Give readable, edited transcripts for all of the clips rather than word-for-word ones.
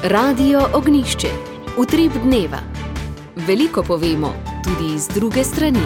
Radio Ognjišče. Utrip dneva. Veliko povemo, tudi iz druge strani.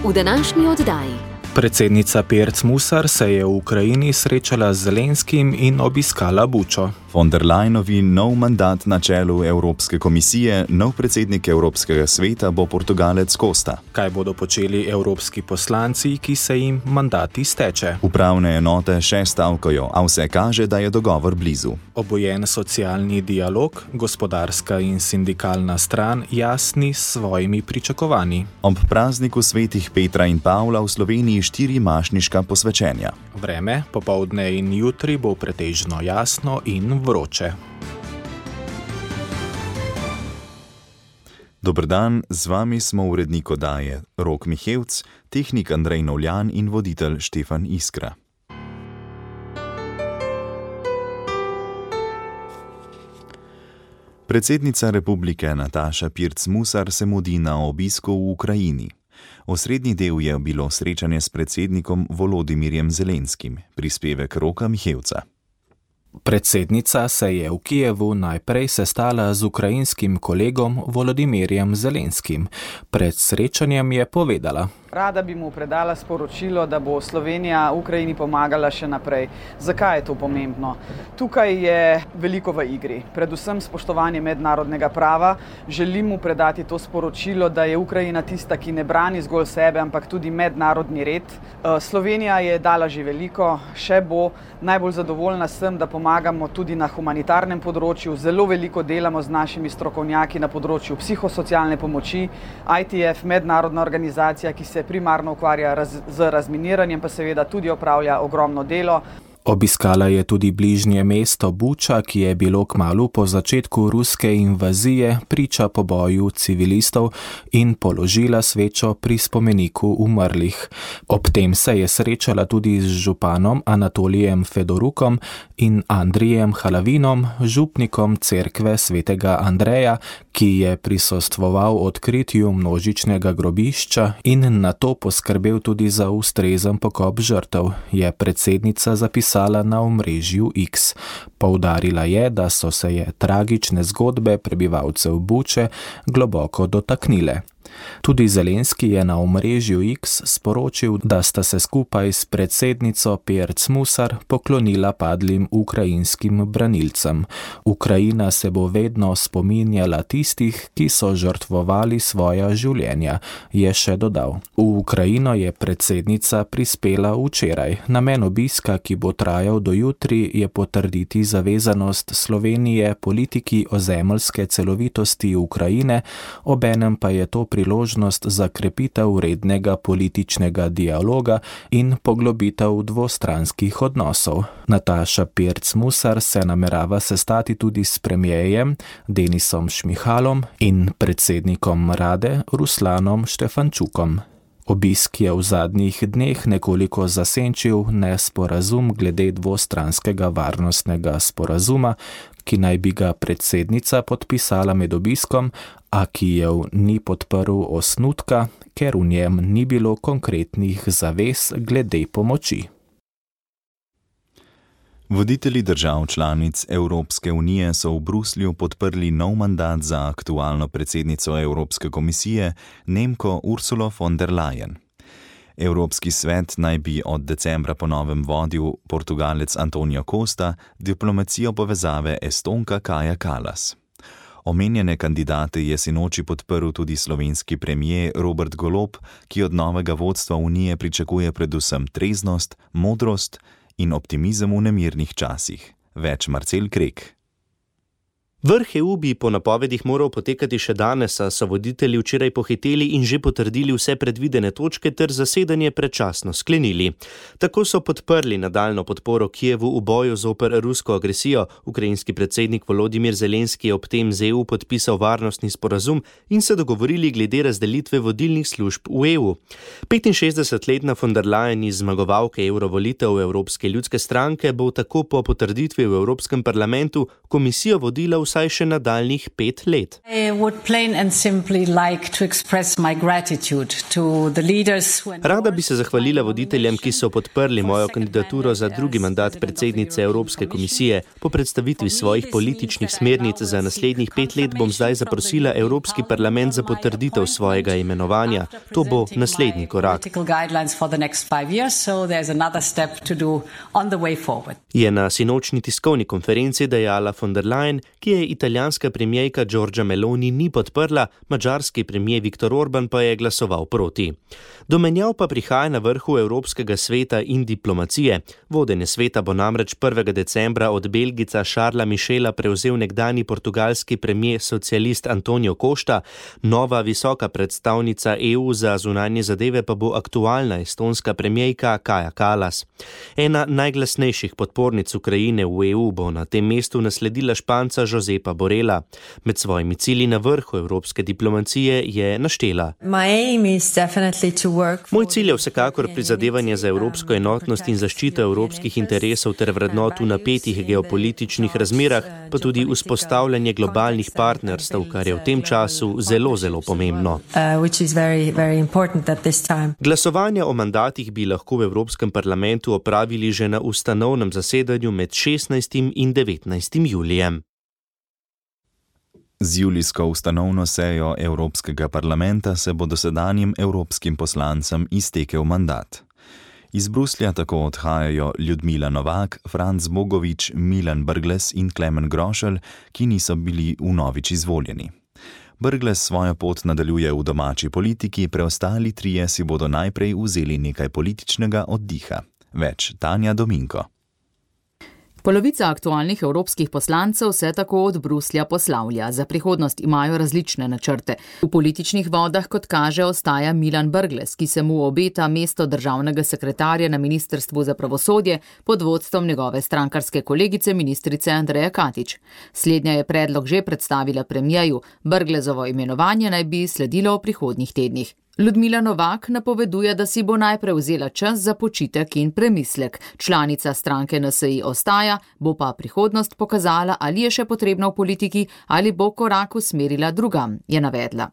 V današnji oddaji. Predsednica Pirc Musar se je v Ukrajini srečala z Zelenskim in obiskala Bučo. Von der Leyenovi nov mandat na čelu Evropske komisije, nov predsednik Evropskega sveta bo Portugalec Costa. Kaj bodo počeli evropski poslanci, ki se jim mandat izteče? Upravne enote še stavkajo, a vse kaže, da je dogovor blizu. Obojen socialni dialog, gospodarska in sindikalna stran jasni s svojimi pričakovanji. Ob prazniku svetih Petra in Pavla v Sloveniji 4 mašniška posvečenja. Vreme, popoldne in jutri bo pretežno jasno in vroče. Dober dan, z vami smo urednik oddaje Rok Mihevc, tehnik Andrej Novljan in voditelj Štefan Iskra. Predsednica republike Nataša Pirc Musar se mudi na obisku v Ukrajini. Osrednji del je bilo srečanje s predsednikom Volodimirjem Zelenskim, prispevek Roka Mihevca. Predsednica se je v Kijevu najprej sestala z ukrajinskim kolegom Volodimirjem Zelenskim. Pred srečanjem je povedala: Rada bi mu predala sporočilo, da bo Slovenija Ukrajini pomagala še naprej. Zakaj je to pomembno? Tukaj je veliko v igri, predvsem spoštovanje mednarodnega prava. Želim mu predati to sporočilo, da je Ukrajina tista, ki ne brani zgolj sebe, ampak tudi mednarodni red. Slovenija je dala že veliko, še bo. Najbolj zadovoljna sem, da pomagamo tudi na humanitarnem področju. Zelo veliko delamo z našimi strokovnjaki na področju psihosocialne pomoči. ITF, mednarodna organizacija, ki se primarno ukvarja z razminiranjem, pa seveda tudi opravlja ogromno delo. Obiskala je tudi bližnje mesto Buča, ki je bilo kmalu po začetku ruske invazije priča poboju civilistov, in položila svečo pri spomeniku umrlih. Ob tem se je srečala tudi z županom Anatolijem Fedorukom in Andrijem Halavinom, župnikom cerkve svetega Andreja, ki je prisostvoval odkritju množičnega grobišča in nato poskrbel tudi za ustrezen pokop žrtev, je predsednica zapisala na omrežju X. Poudarila je, da so se je tragične zgodbe prebivalcev Buče globoko dotaknile. Tudi Zelenski je na omrežju X sporočil, da sta se skupaj s predsednico Pirc Musar poklonila padlim ukrajinskim branilcem. Ukrajina se bo vedno spominjala tistih, ki so žrtvovali svoja življenja, je še dodal. V Ukrajino je predsednica prispela včeraj. Namen obiska, ki bo trajal do jutri, je potrditi zavezanost Slovenije politiki ozemeljske celovitosti Ukrajine, obenem pa je to priložnost za krepitev rednega političnega dialoga in poglobitev dvostranskih odnosov. Nataša Pirc Musar se namerava sestati tudi s premierjem Denisom Šmihalom in predsednikom Rade Ruslanom Štefančukom. Obisk je v zadnjih dneh nekoliko zasenčil nesporazum glede dvostranskega varnostnega sporazuma, ki naj bi ga predsednica podpisala med obiskom, a Kijev ni podprl osnutka, ker v njem ni bilo konkretnih zavez glede pomoči. Voditelji držav članic Evropske unije so v Bruslju podprli nov mandat za aktualno predsednico Evropske komisije, Nemko Ursulo von der Leyen. Evropski svet naj bi od decembra po novem vodil Portugalec Antonio Costa, diplomacijo povezave Estonka Kaja Kallas. Omenjene kandidate je sinoči podprl tudi slovenski premier Robert Golob, ki od novega vodstva unije pričakuje predvsem treznost, modrost in optimizem v nemirnih časih. Več Marcel Krek. Vrh EU bi po napovedih moral potekati še danes, a so voditelji včeraj pohiteli in že potrdili vse predvidene točke ter zasedanje predčasno sklenili. Tako so podprli nadaljno podporo Kijevu v boju zoper rusko agresijo. Ukrajinski predsednik Volodimir Zelenski je ob tem z EU podpisal varnostni sporazum in se dogovorili glede razdelitve vodilnih služb v EU. 65-letna von der Leyen iz zmagovalke eurovolitev Evropske ljudske stranke bo tako po potrditvi v Evropskem parlamentu komisijo vodila v vsaj še nadaljnjih 5 let. Rada bi se zahvalila voditeljem, ki so podprli mojo kandidaturo za drugi mandat predsednice Evropske komisije. Po predstavitvi svojih političnih smernic za naslednjih 5 let bom zdaj zaprosila Evropski parlament za potrditev svojega imenovanja. To bo naslednji korak. Je na sinočni tiskovni konferenci dejala von der Leyen, ki je italijanska premijerka Giorgia Meloni ni podprla, madžarski premijer Viktor Orban pa je glasoval proti. Do menjav pa prihaja na vrhu Evropskega sveta in diplomacije. Vodenje sveta bo namreč 1. decembra od Belgica Charlesa Michela prevzel nekdani portugalski premijer socialist Antonio Costa, nova visoka predstavnica EU za zunanje zadeve pa bo aktualna estonska premijerka Kaja Kallas. Ena najglasnejših podpornic Ukrajine v EU bo na tem mestu nasledila Španca Josepa Borrella. Med svojimi cilji na vrhu evropske diplomacije je naštela: Moj cilj je vsekakor prizadevanje za evropsko enotnost in zaščito evropskih interesov ter vrednot v napetih geopolitičnih razmerah, pa tudi vzpostavljanje globalnih partnerstev, kar je v tem času zelo pomembno. Glasovanja o mandatih bi lahko v Evropskem parlamentu opravili že na ustanovnem zasedanju med 16. in 19. julijem. Z julijsko ustanovno sejo Evropskega parlamenta se bo dosedanjim evropskim poslancem iztekel mandat. Iz Bruslja tako odhajajo Ljudmila Novak, Franc Bogovič, Milan Brglez in Klemen Grošelj, ki niso bili vnovič izvoljeni. Brglez svojo pot nadaljuje v domači politiki, preostali trije si bodo najprej vzeli nekaj političnega oddiha. Več Tanja Dominko. Polovica aktualnih evropskih poslancev se tako od Bruslja poslavlja. Za prihodnost imajo različne načrte. V političnih vodah, kot kaže, ostaja Milan Brglez, ki se mu obeta mesto državnega sekretarja na Ministrstvu za pravosodje pod vodstvom njegove strankarske kolegice ministrice Andreje Katič. Slednja je predlog že predstavila premijeju. Brglezovo imenovanje naj bi sledilo v prihodnjih tednih. Ljudmila Novak napoveduje, da si bo najprej vzela čas za počitek in premislek. Članica stranke NSI ostaja, bo pa prihodnost pokazala, ali je še potrebna v politiki ali bo korak usmerila drugam, je navedla.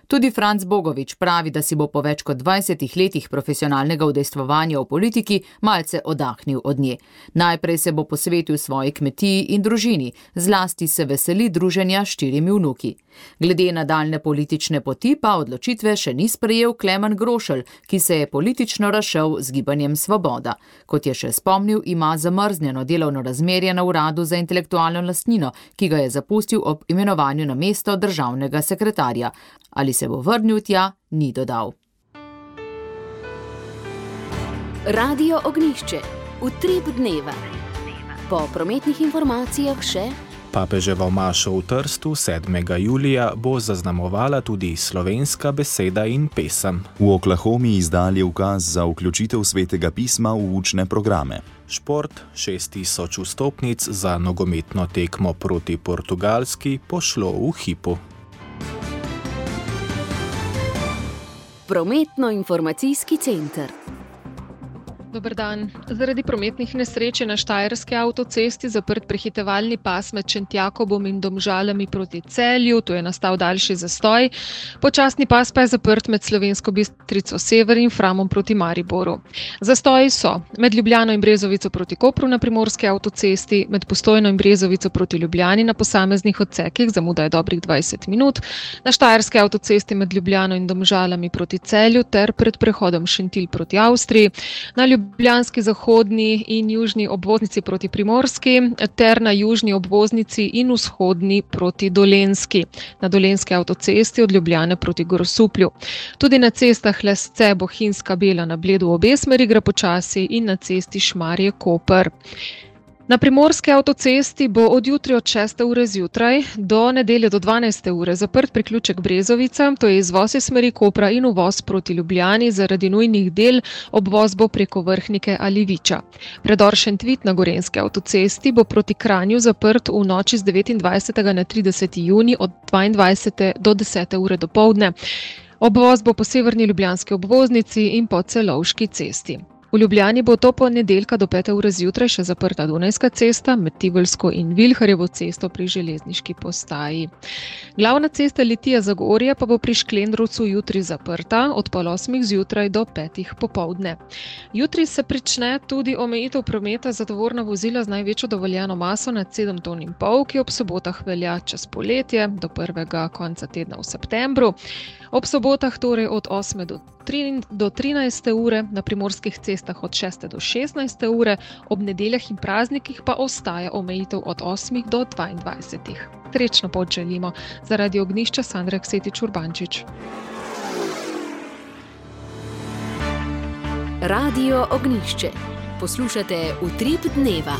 Tudi Franc Bogovič pravi, da si bo po več kot 20 letih profesionalnega udejstvovanja v politiki malce oddahnil od nje. Najprej se bo posvetil svoji kmetiji in družini, zlasti se veseli druženja s 4 vnuki. Glede nadaljne politične poti pa odločitve še ni sprejel Klemen Grošelj, ki se je politično razšel z Gibanjem Svoboda. Kot je še spomnil, ima zamrznjeno delovno razmerje na uradu za intelektualno lastnino, ki ga je zapustil ob imenovanju na mesto državnega sekretarja. Ali se bo vrnil tja, ni dodal. Radio Ognjišče. Utrip dneva. Po prometnih informacijah še: Papeževo mašo v Trstu 7. julija bo zaznamovala tudi slovenska beseda in pesem. V Oklahomi izdali ukaz za vključitev svetega pisma v učne programe. Šport, 6000 vstopnic za nogometno tekmo proti Portugalski pošlo v hipu. Prometno-informacijski center. Dober dan. Zaradi prometnih nesreč je na Štajerski avtocesti zaprt prehitevalni pas med Šentjakobom in Domžalami proti Celju, tu je nastal daljši zastoj. Počasni pas pa je zaprt med Slovensko Bistrico Sever in Framom proti Mariboru. Zastoji so med Ljubljano in Brezovico proti Kopru na Primorski avtocesti, med Postojno in Brezovico proti Ljubljani na posameznih odsekih, zamuda je dobrih 20 minut, na Štajerski avtocesti med Ljubljano in Domžalami proti Celju ter pred prehodom Šentilj proti Avstriji, na Ljubljanski zahodni in južni obvoznici proti Primorski ter na južni obvoznici in vzhodni proti Dolenjski. Na Dolenjski avtocesti od Ljubljane proti Grosuplju. Tudi na cestah Lesce, Bohinjska, Bela na Bledu obe smeri gre počasi in na cesti Šmarje-Koper. Na Primorski avtocesti bo od jutri od 6. ure zjutraj do nedelje do 12. ure zaprt priključek Brezovica, to je izvoz iz smeri Kopra in uvoz proti Ljubljani zaradi nujnih del, obvoz bo preko Vrhnike ali Viča. Predor Šentvit na Gorenjski avtocesti bo proti Kranju zaprt v noči z 29. na 30. junij od 22. do 10. ure dopoldne. Obvoz bo po severni ljubljanski obvoznici in po Celovški cesti. V Ljubljani bo to ponedeljka do 5. ure zjutraj še zaprta Dunajska cesta med Tivolsko in Vilharjevo cesto pri železniški postaji. Glavna cesta Litija-Zagorje pa bo pri Šklendrovcu jutri zaprta od 7:30 zjutraj do 5. popoldne. Jutri se prične tudi omejitev prometa za tovorna vozila z največjo dovoljeno maso nad 7,5 ton, ki ob sobotah velja čez poletje do prvega konca tedna v septembru. Ob sobotah torej od 8. do 13. ure, na primorskih cestah od 6. do 16. ure, ob nedeljah in praznikih pa ostaja omejitev od 8. do 22. Srečno pot želimo. Zaradi Ognjišča Sandra Ksetič Urbančič. Radio Ognjišče. Poslušate Utrip dneva.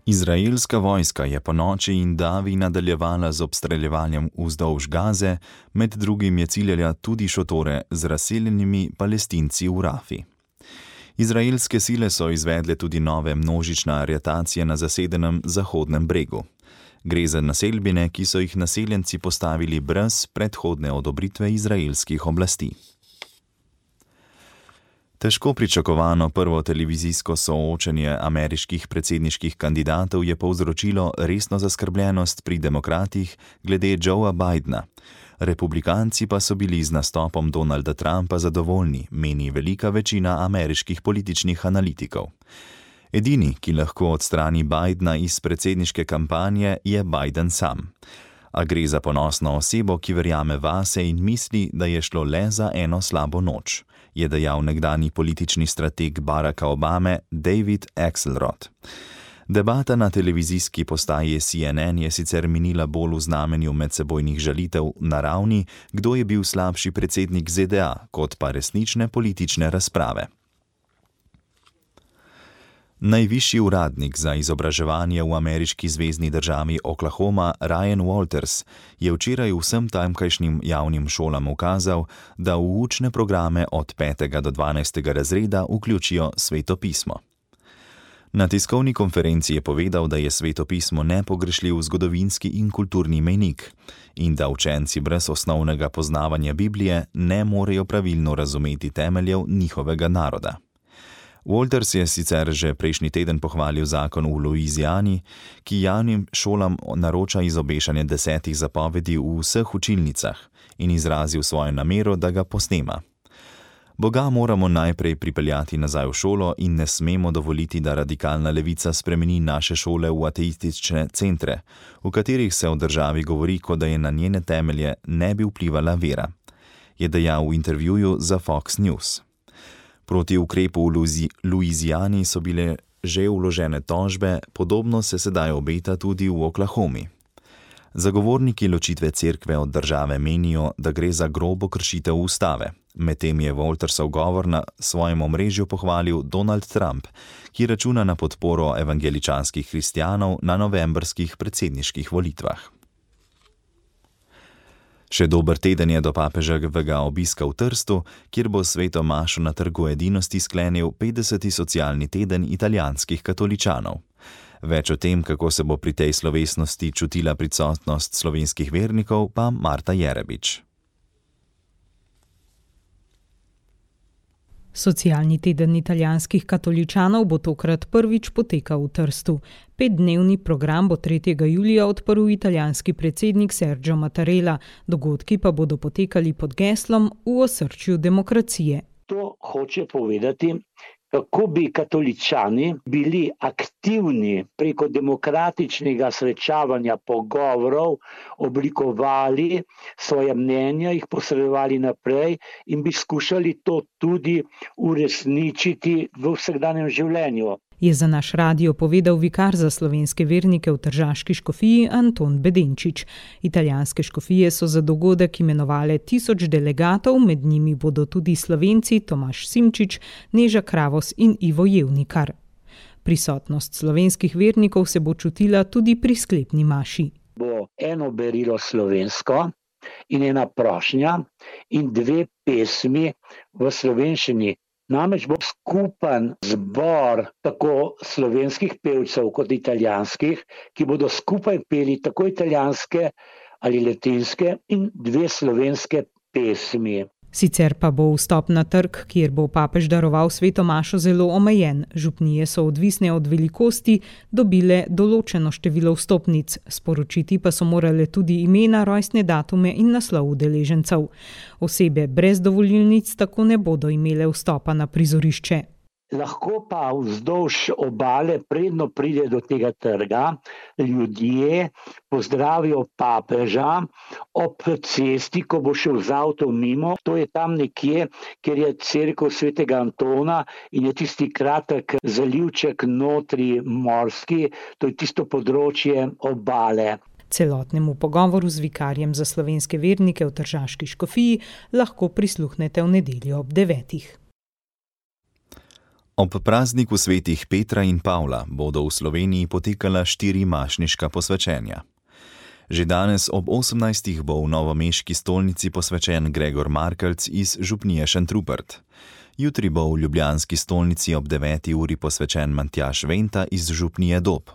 Izraelska vojska je po noči in davi nadaljevala z obstreljevanjem vzdolž Gaze, med drugim je ciljala tudi šotore z razseljenimi Palestinci v Rafi. Izraelske sile so izvedle tudi nove množične aretacije na zasedenem Zahodnem bregu. Gre za naselbine, ki so jih naseljenci postavili brez predhodne odobritve izraelskih oblasti. Težko pričakovano prvo televizijsko soočenje ameriških predsedniških kandidatov je povzročilo resno zaskrbljenost pri demokratih glede Joea Bidena. Republikanci pa so bili z nastopom Donalda Trumpa zadovoljni, meni velika večina ameriških političnih analitikov. Edini, ki lahko odstrani Bidena iz predsedniške kampanje, je Biden sam. A gre za ponosno osebo, ki verjame vase in misli, da je šlo le za eno slabo noč, je dejal nekdanji politični strateg Baracka Obame David Axelrod. Debata na televizijski postaji CNN je sicer minila bolj v znamenju medsebojnih žalitev na ravni, kdo je bil slabši predsednik ZDA, kot pa resnične politične razprave. Najvišji uradnik za izobraževanje v ameriški zvezni državi Oklahoma, Ryan Walters, je včeraj vsem tamkajšnjim javnim šolam ukazal, da v učne programe od 5. do 12. razreda vključijo svetopismo. Na tiskovni konferenci je povedal, da je svetopismo nepogrešljiv zgodovinski in kulturni mejnik in da učenci brez osnovnega poznavanja Biblije ne morejo pravilno razumeti temeljev njihovega naroda. Walters je sicer že prejšnji teden pohvalil zakon v Louisiani, ki javnim šolam naroča izobešanje 10 zapovedi v vseh učilnicah in izrazil svojo namero, da ga posnema. Boga moramo najprej pripeljati nazaj v šolo in ne smemo dovoliti, da radikalna levica spremeni naše šole v ateistične centre, v katerih se o državi govori, kot da je na njene temelje ne bi vplivala vera, je dejal v intervjuju za Fox News. Proti ukrepu v Louisiani so bile že vložene tožbe, podobno se sedaj obeta tudi v Oklahomi. Zagovorniki ločitve cerkve od države menijo, da gre za grobo kršitev ustave. Medtem je Waltersov govor na svojem omrežju pohvalil Donald Trump, ki računa na podporo evangeličanskih kristjanov na novembrskih predsedniških volitvah. Še dober teden je do papeževega obiska v Trstu, kjer bo sveto mašo na Trgu edinosti sklenil 50. socialni teden italijanskih katoličanov. Več o tem, kako se bo pri tej slovesnosti čutila prisotnost slovenskih vernikov, pa Marta Jerebič. Socialni teden italijanskih katoličanov bo tokrat prvič potekal v Trstu. 5-dnevni program bo 3. julija odprl italijanski predsednik Sergio Mattarella, dogodki pa bodo potekali pod geslom V osrčju demokracije. To hoče povedati, kako bi katoličani bili aktivni preko demokratičnega srečavanja, pogovorov, oblikovali svoje mnenja, jih posredovali naprej in bi skušali to tudi uresničiti v vsakdanjem življenju. Je za naš radio povedal vikar za slovenske vernike v tržaški škofiji Anton Bedenčič. Italijanske škofije so za dogodek imenovale 1000 delegatov, med njimi bodo tudi Slovenci Tomaž Simčič, Neža Kravos in Ivo Jevnikar. Prisotnost slovenskih vernikov se bo čutila tudi pri sklepni maši. Bo eno berilo slovensko in ena prošnja in 2 pesmi v slovenščini. Namreč bo skupen zbor tako slovenskih pevcev kot italijanskih, ki bodo skupaj peli tako italijanske ali latinske in 2 slovenske pesmi. Sicer pa bo vstop na trg, kjer bo papež daroval sveto mašo, zelo omejen. Župnije so odvisne od velikosti dobile določeno število vstopnic. Sporočiti pa so morale tudi imena, rojstne datume in naslov udeležencev. Osebe brez dovolilnic tako ne bodo imele vstopa na prizorišče. Lahko pa vzdolž obale, predno pride do tega trga, ljudje pozdravijo papeža ob cesti, ko bo šel z avtom mimo. To je tam nekje, kjer je cerkev svetega Antona in je tisti kratek zalivček notri morski, to je tisto področje obale. Celotnemu pogovoru z vikarjem za slovenske vernike v Tržaški škofiji lahko prisluhnete v nedeljo ob 9. Ob prazniku svetih Petra in Pavla bodo v Sloveniji potekala 4 mašniška posvečenja. Že danes ob 18. bo v novomeški stolnici posvečen Gregor Markelc iz župnije Šentrupert. Jutri bo v ljubljanski stolnici ob 9. uri posvečen Matjaž Venta iz župnije Dob.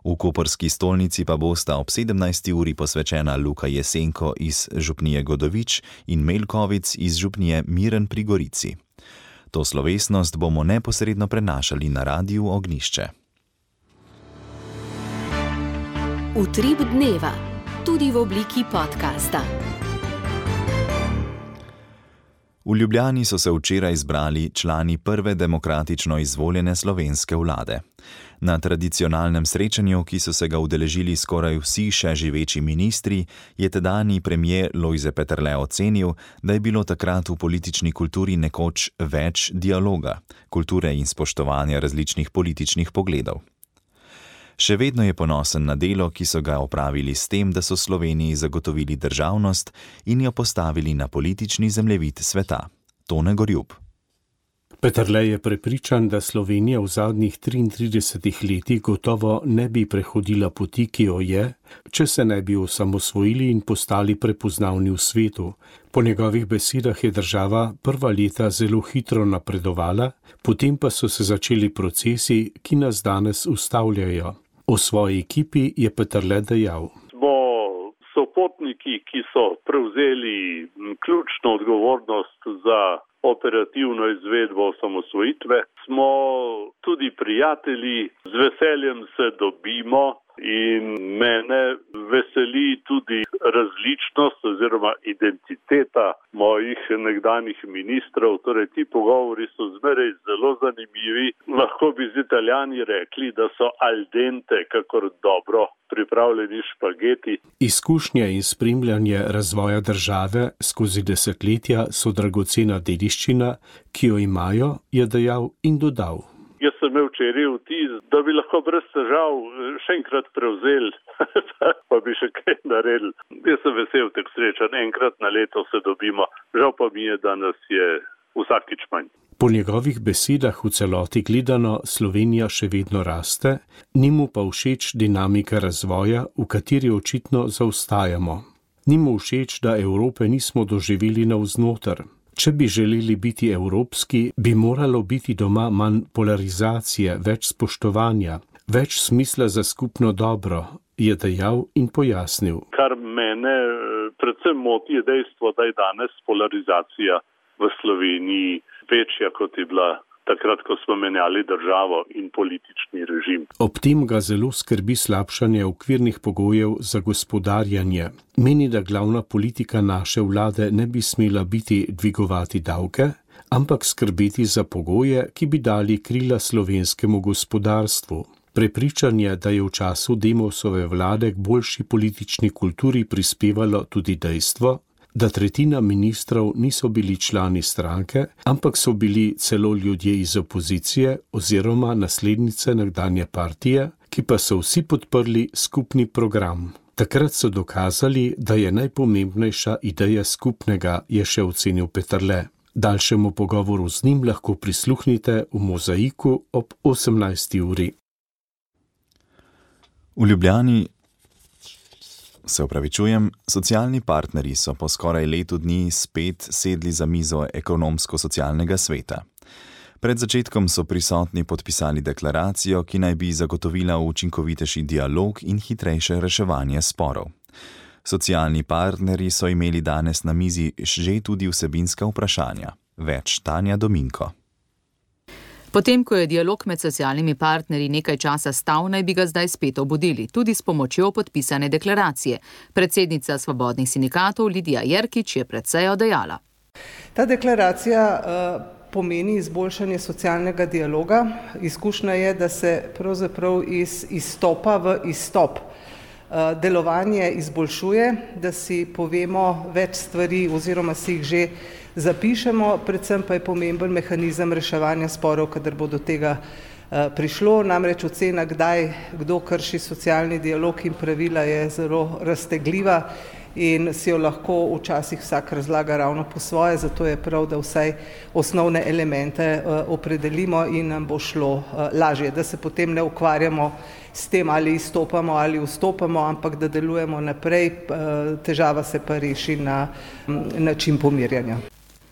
V koprski stolnici pa bosta ob 17. uri posvečena Luka Jesenko iz župnije Godovič in Melkovic iz župnije Miren pri Gorici. To slovesnost bomo neposredno prenašali na Radiu Ognjišče. Utrip dneva, tudi v obliki podcasta. V Ljubljani so se včeraj zbrali člani prve demokratično izvoljene slovenske vlade. Na tradicionalnem srečanju, ki so se ga udeležili skoraj vsi še živeči ministri, je tedanji premier Lojze Peterle ocenil, da je bilo takrat v politični kulturi nekoč več dialoga, kulture in spoštovanja različnih političnih pogledov. Še vedno je ponosen na delo, ki so ga opravili s tem, da so Sloveniji zagotovili državnost in jo postavili na politični zemljevid sveta. Tone Gorjub. Peterle je prepričan, da Slovenija v zadnjih 33 letih gotovo ne bi prehodila poti, ki jo je, če se ne bi osamosvojili in postali prepoznavni v svetu. Po njegovih besedah je država prva leta zelo hitro napredovala, potem pa so se začeli procesi, ki nas danes ustavljajo. O svoji ekipi je Peterle dejal. Smo sopotniki, ki so prevzeli ključno odgovornost za operativno izvedbo osamosvojitve. Smo tudi prijatelji, z veseljem se dobimo in mene veseli tudi različnost oziroma identiteta mojih nekdanjih ministrov. Torej, ti pogovori so zmeraj zelo zanimivi. Lahko bi z Italijani rekli, da so al dente, kakor dobro pripravljeni špageti. Izkušnje in spremljanje razvoja države skozi desetletja so dragocena dediščina, ki jo imajo, je dejal in dodal. Jaz sem imel včeraj vtis, da bi lahko brez težav še enkrat prevzeli, pa bi še kaj naredili. Jaz sem vesel teh srečanj, enkrat na leto se dobimo. Žal pa mi je, da nas je vsakič manj. Po njegovih besedah v celoti gledano Slovenija še vedno raste, ni mu pa všeč dinamika razvoja, v kateri očitno zaostajamo. Ni mu všeč, da Evrope nismo doživeli navznoter. Če bi želeli biti evropski, bi moralo biti doma manj polarizacije, več spoštovanja, več smisla za skupno dobro, je dejal in pojasnil. Kar mene predvsem moti je dejstvo, da je danes polarizacija v Sloveniji večja, kot je bila takrat, ko smo menjali državo in politični režim. Ob tem ga zelo skrbi slabšanje okvirnih pogojev za gospodarjanje. Meni, da glavna politika naše vlade ne bi smela biti dvigovati davke, ampak skrbeti za pogoje, ki bi dali krila slovenskemu gospodarstvu. Prepričan je, da je v času Demosove vlade k boljši politični kulturi prispevalo tudi dejstvo, da tretjina ministrov niso bili člani stranke, ampak so bili celo ljudje iz opozicije oziroma naslednice nekdanje partije, ki pa so vsi podprli skupni program. Takrat so dokazali, da je najpomembnejša ideja skupnega, je še ocenil Peterle. Daljšemu pogovoru z njim lahko prisluhnite v Mozaiku ob 18. uri. V Ljubljani socialni partnerji so po skoraj letu dni spet sedli za mizo ekonomsko-socialnega sveta. Pred začetkom so prisotni podpisali deklaracijo, ki naj bi zagotovila učinkovitejši dialog in hitrejše reševanje sporov. Socialni partnerji so imeli danes na mizi že tudi vsebinska vprašanja. Več Tanja Dominko. Potem, ko je dialog med socialnimi partnerji nekaj časa stal, naj bi ga zdaj spet obudili, tudi s pomočjo podpisane deklaracije. Predsednica Svobodnih sindikatov Lidija Jerkič je pred sejo dejala. Ta deklaracija pomeni izboljšanje socialnega dialoga. Izkušnja je, da se pravzaprav iz izstopa v izstop delovanje izboljšuje, da si povemo več stvari oziroma si jih že zapišemo, predvsem pa je pomemben mehanizem reševanja sporov, kadar bo do tega prišlo. Namreč ocena, kdo krši socialni dialog in pravila, je zelo raztegljiva in si jo lahko včasih vsak razlaga ravno po svoje, zato je prav, da vsaj osnovne elemente opredelimo in nam bo šlo lažje, da se potem ne ukvarjamo s tem, ali izstopamo ali vstopamo, ampak da delujemo naprej, težava se pa reši na način pomirjanja.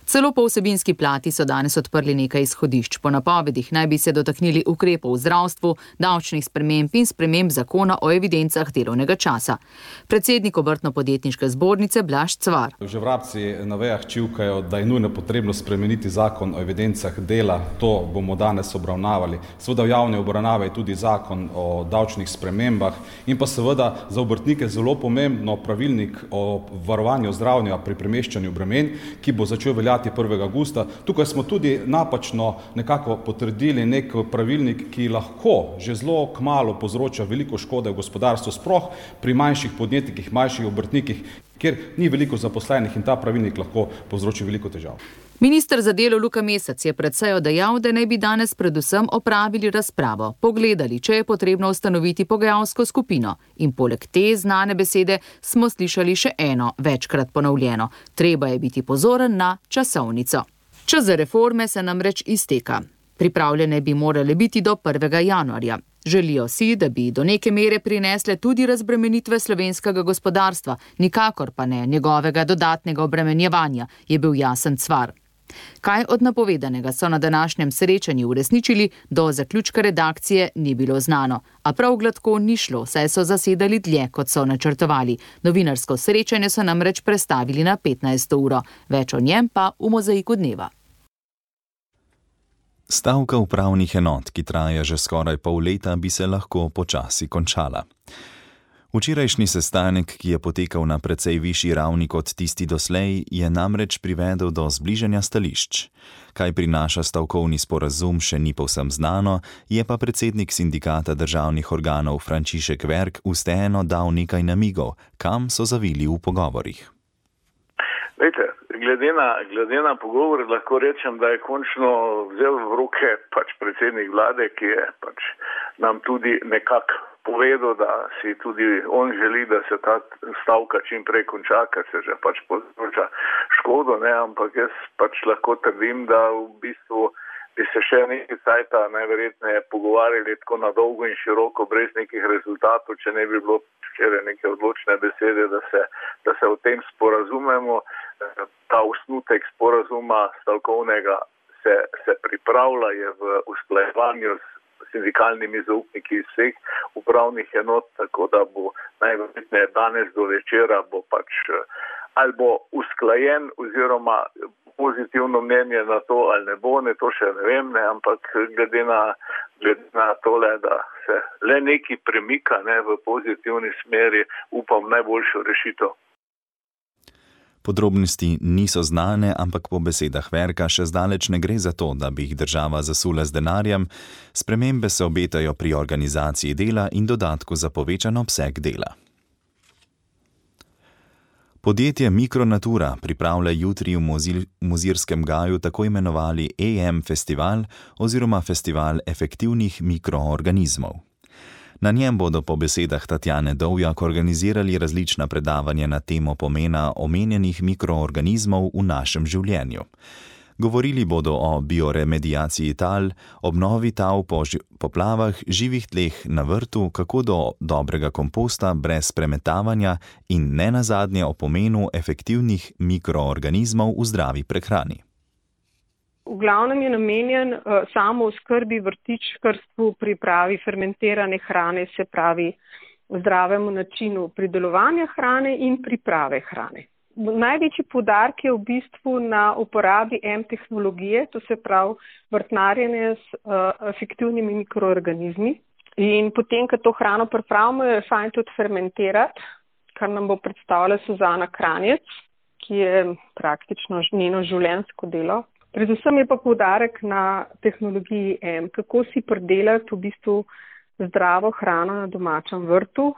Celo po vsebinski plati so danes odprli nekaj izhodišč. Po napovedih naj bi se dotaknili ukrepov v zdravstvu, davčnih sprememb in sprememb zakona o evidencah delovnega časa. Predsednik Obrtno-podjetniške zbornice Blaž Cvar. Že vrabci na vejah čivkajo, da je nujno potrebno spremeniti zakon o evidencah dela. To bomo danes obravnavali. Seveda v javni obravnavi je tudi zakon o davčnih spremembah in pa seveda za obrtnike zelo pomembno pravilnik o varovanju zdravja pri premeščanju bremen, ki bo začel veljati 1. avgusta. Tukaj smo tudi napačno nekako potrdili nek pravilnik, ki lahko že zelo kmalu povzroča veliko škode v gospodarstvu, sploh pri manjših podjetnikih, manjših obrtnikih, kjer ni veliko zaposlenih in ta pravilnik lahko povzroči veliko težav. Minister za delo Luka Mesec je pred sejo dejal, da naj bi danes predvsem opravili razpravo, pogledali, če je potrebno ustanoviti pogajalsko skupino. In poleg te znane besede smo slišali še eno, večkrat ponovljeno. Treba je biti pozoren na časovnico. Čas za reforme se namreč izteka. Pripravljene bi morale biti do 1. januarja. Želijo si, da bi do neke mere prinesle tudi razbremenitve slovenskega gospodarstva, nikakor pa ne njegovega dodatnega obremenjevanja, je bil jasen Cvar. Kaj od napovedanega so na današnjem srečanju uresničili, do zaključka redakcije ni bilo znano. A prav gladko ni šlo, saj so zasedali dlje, kot so načrtovali. Novinarsko srečanje so namreč prestavili na 15. uro. Več o njem pa v Mozaiku dneva. Stavka upravnih enot, ki traja že skoraj pol leta, bi se lahko počasi končala. Včerajšnji sestanek, ki je potekal na precej višji ravni kot tisti doslej, je namreč privedel do zbližanja stališč. Kaj prinaša stavkovni sporazum, še ni povsem znano, je pa predsednik sindikata državnih organov Frančišek Verk vseeno dal nekaj namigov, kam so zavili v pogovorih. Lejte, glede na pogovor lahko rečem, da je končno vzel v roke predsednik vlade, ki je nam tudi nekako povedal, da si tudi on želi, da se ta stavka čim prej konča, ker se že povzroča škodo, ne, ampak jaz lahko trdim, da v bistvu bi se še nekaj cajta najverjetneje pogovarjali tako na dolgo in široko, brez nekih rezultatov, če ne bi bilo včeraj neke odločne besede, da se o tem sporazumemo. Ta osnutek sporazuma stavkovnega se pripravlja, je v usklajevanju s sindikalnimi zaupniki iz vseh upravnih enot, tako da bo najverjetneje danes do večera ali bo usklajen oziroma pozitivno mnenje na to ali ne bo, to še ne vem, ampak glede na tole, da se le nekaj premika v pozitivni smeri, upam najboljšo rešitev. Podrobnosti niso znane, ampak po besedah Verka še zdaleč ne gre za to, da bi jih država zasula z denarjem. Spremembe se obetajo pri organizaciji dela in dodatku za povečan obseg dela. Podjetje Mikronatura pripravlja jutri v Mozirskem gaju tako imenovali EM festival oziroma festival efektivnih mikroorganizmov. Na njem bodo po besedah Tatjane Dovjak organizirali različna predavanja na temo pomena omenjenih mikroorganizmov v našem življenju. Govorili bodo o bioremediaciji tal, obnovi tal po poplavah, živih tleh na vrtu, kako do dobrega komposta brez premetavanja in ne nazadnje o pomenu efektivnih mikroorganizmov v zdravi prehrani. V glavnem je namenjen samo oskrbi, vrtičkarstvu, pripravi fermentirane hrane, se pravi zdravemu načinu pridelovanja hrane in priprave hrane. Največji poudarek je v bistvu na uporabi M-tehnologije, to se pravi vrtnarjenje s efektivnimi mikroorganizmi. In potem, ko to hrano pripravimo, je fajn tudi fermentirati, kar nam bo predstavila Suzana Kranjec, ki je praktično njeno življenjsko delo. Predvsem je pa poudarek na tehnologiji M, kako si pridelati v bistvu zdravo hrano na domačem vrtu.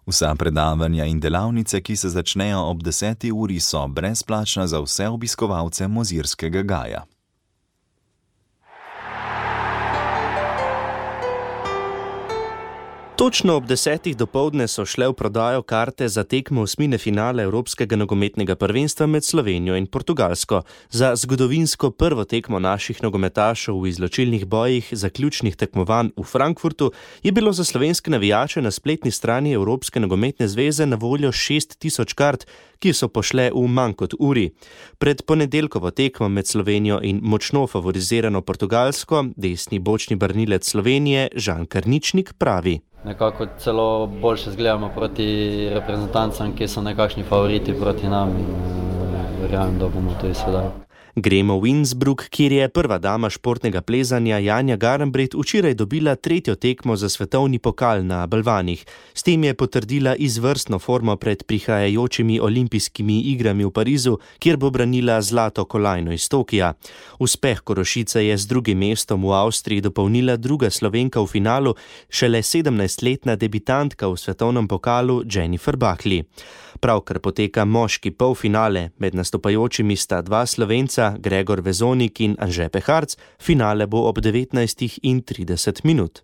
Vsa predavanja in delavnice, ki se začnejo ob 10. uri, so brezplačna za vse obiskovalce Mozirskega gaja. Točno ob 10. dopoldne so šle v prodajo karte za tekmo osmine finale Evropskega nogometnega prvenstva med Slovenijo in Portugalsko. Za zgodovinsko prvo tekmo naših nogometašev v izločilnih bojih zaključnih tekmovanj v Frankfurtu je bilo za slovenske navijače na spletni strani Evropske nogometne zveze na voljo 6000 kart, ki so pošle v manj kot uri. Pred ponedeljkovo tekmo med Slovenijo in močno favorizirano Portugalsko desni bočni branilec Slovenije Žan Karničnik pravi: Nekako celo boljše zgledamo proti reprezentancam, ki so nekakšni favoriti proti nam in verjamem, da bomo to izvedali. Gremo v Innsbruck, kjer je prva dama športnega plezanja Janja Garnbret včeraj dobila 3. tekmo za svetovni pokal na balvanih. S tem je potrdila izvrstno formo pred prihajajočimi olimpijskimi igrami v Parizu, kjer bo branila zlato kolajno iz Tokija. Uspeh Korošice je z drugim mestom v Avstriji dopolnila druga Slovenka v finalu, šele 17-letna debitantka v svetovnem pokalu Jennifer Buckley. Pravkar poteka moški polfinale, med nastopajočimi sta dva Slovenca, Gregor Vezonik in Anže Peharc, finale bo ob 19:30.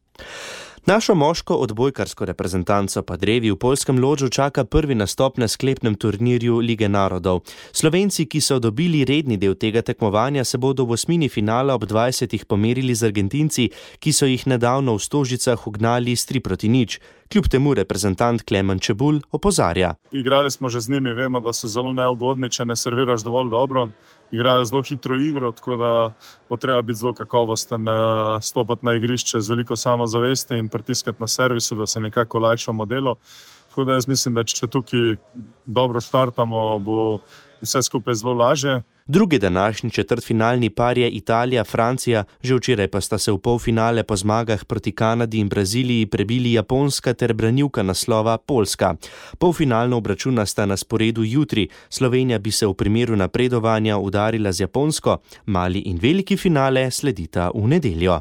Našo moško odbojkarsko reprezentanco pa drevi v poljskem Lodžu čaka prvi nastop na sklepnem turnirju Lige narodov. Slovenci, ki so dobili redni del tega tekmovanja, se bodo v osmini finala ob 20. pomerili z Argentinci, ki so jih nedavno v Stožicah ugnali s 3-0. Kljub temu reprezentant Klemen Čebulj opozarja: Igrali smo že z njimi, vemo, da so zelo neugodni, če ne serviraš dovolj dobro. Igrajo zelo hitro igro, tako da bo treba biti zelo kakovosten, stopati na igrišče z veliko samozavesti in pritiskati na servisu, da se nekako olajšamo delo. Tako da jaz mislim, da če tukaj dobro startamo, bo vse skupaj zelo lažje. Drugi današnji četrtfinalni par je Italija-Francija, že včeraj pa sta se v polfinale po zmagah proti Kanadi in Braziliji prebili Japonska ter branilka naslova Poljska. Polfinalno obračuna sta na sporedu jutri. Slovenija bi se v primeru napredovanja udarila z Japonsko, mali in veliki finale sledita v nedeljo.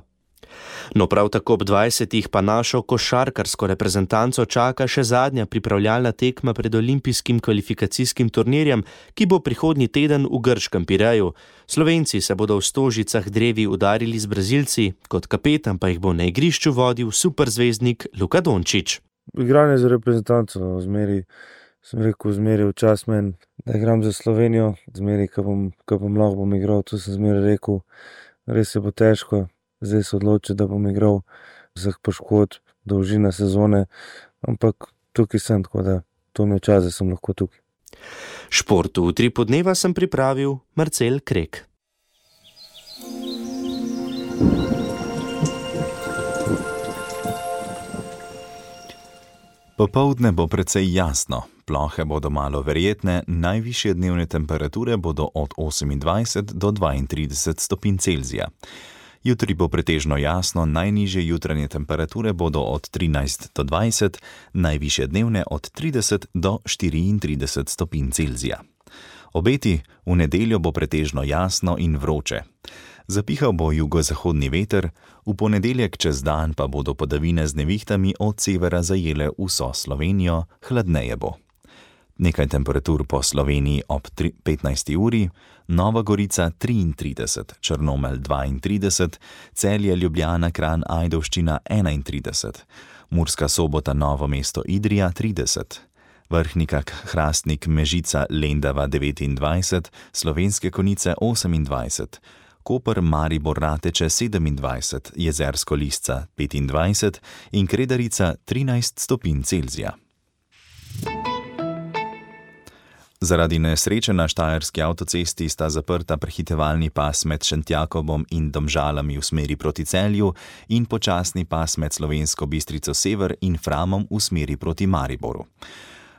No, prav tako ob 20. pa našo košarkarsko reprezentanco čaka še zadnja pripravljalna tekma pred olimpijskim kvalifikacijskim turnirjem, ki bo prihodnji teden v grškem Pireju. Slovenci se bodo v Stožicah drevi udarili z Brazilci, kot kapetan pa jih bo na igrišču vodil superzvezdnik Luka Dončić. Igranje za reprezentanco, zmeri v čas meni, da igram za Slovenijo, zmeri, ko bom lahko bom igral, to sem zmeri rekel, res se bo težko. Zdaj se odloči, da bom igral za poškodb, dolžina sezone, ampak tukaj sem, tako da to mi je čas, da sem lahko tukaj. Športu v 3 podneva sem pripravil Marcel Krek. Popoldne bo precej jasno, plohe bodo malo verjetne, najvišje dnevne temperature bodo od 28 do 32 stopinj Celzija. Jutri bo pretežno jasno, najnižje jutranje temperature bodo od 13 do 20, najvišje dnevne od 30 do 34 stopinj Celzija. Obeti: v nedeljo bo pretežno jasno in vroče. Zapihal bo jugozahodni veter, v ponedeljek čez dan pa bodo padavine z nevihtami od severa zajele vso Slovenijo, hladneje bo. Nekaj temperatur po Sloveniji ob 15. uri, Nova Gorica 33, Črnomelj 32, Celje, Ljubljana, Kranj, Ajdovščina 31, Murska Sobota, Novo mesto, Idrija 30, Vrhnika, Hrastnik, Mežica, Lendava 29, Slovenske Konjice 28, Koper, Maribor, Rateče 27, Jezersko Lisca 25 in Kredarica 13 stopinj Celzija. Zaradi nesreče na štajerski avtocesti sta zaprta prehitevalni pas med Šentjakobom in Domžalami v smeri proti Celju in počasni pas med Slovensko Bistrico Sever in Framom v smeri proti Mariboru.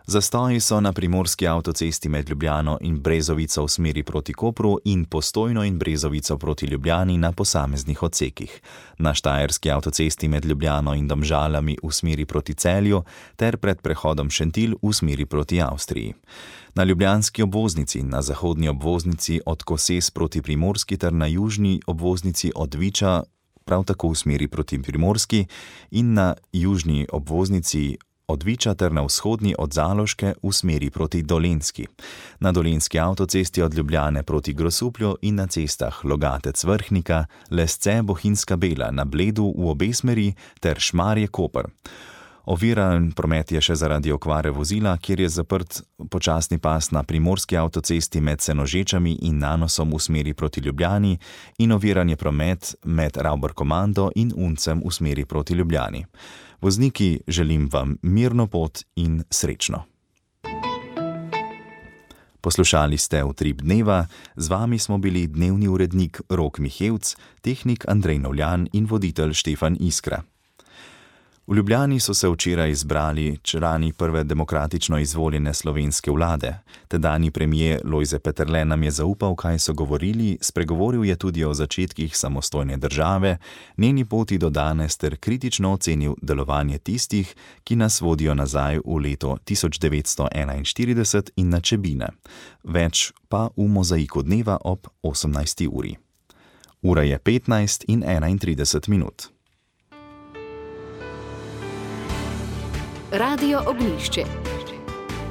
Zastoji so na primorski avtocesti med Ljubljano in Brezovico v smeri proti Kopru in Postojno in Brezovico proti Ljubljani na posameznih odsekih. Na štajerski avtocesti med Ljubljano in Domžalami v smeri proti Celju ter pred prehodom Šentilj v smeri proti Avstriji. Na ljubljanski obvoznici, na zahodni obvoznici od Koses proti Primorski ter na južni obvoznici od Viča prav tako v smeri proti Primorski in na južni obvoznici od Viča ter na vzhodni od Zaloške v smeri proti Dolenjski. Na dolenjski avtocesti od Ljubljane proti Grosuplju in na cestah Logatec-Vrhnika, Lesce, Bohinjska Bela, na Bledu v obe smeri ter Šmarje-Koper. Oviran promet je še zaradi okvare vozila, kjer je zaprt počasni pas na primorski avtocesti med Senožečami in Nanosom v smeri proti Ljubljani in oviran je promet med Ravbor-Komando in Uncem v smeri proti Ljubljani. Vozniki, želim vam mirno pot in srečno. Poslušali ste Utrip dneva, z vami smo bili dnevni urednik Rok Mihevc, tehnik Andrej Novljan in voditelj Štefan Iskra. V Ljubljani so se včeraj izbrali člani prve demokratično izvoljene slovenske vlade. Tedanji premier Lojze Peterle nam je zaupal, kaj so govorili, spregovoril je tudi o začetkih samostojne države, njeni poti do danes ter kritično ocenil delovanje tistih, ki nas vodijo nazaj v leto 1941 in na Čebine. Več pa v Mozaiku dneva ob 18. uri. Ura je 15:31. Radio Ognjišče.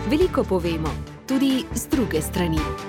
Veliko povemo, tudi z druge strani.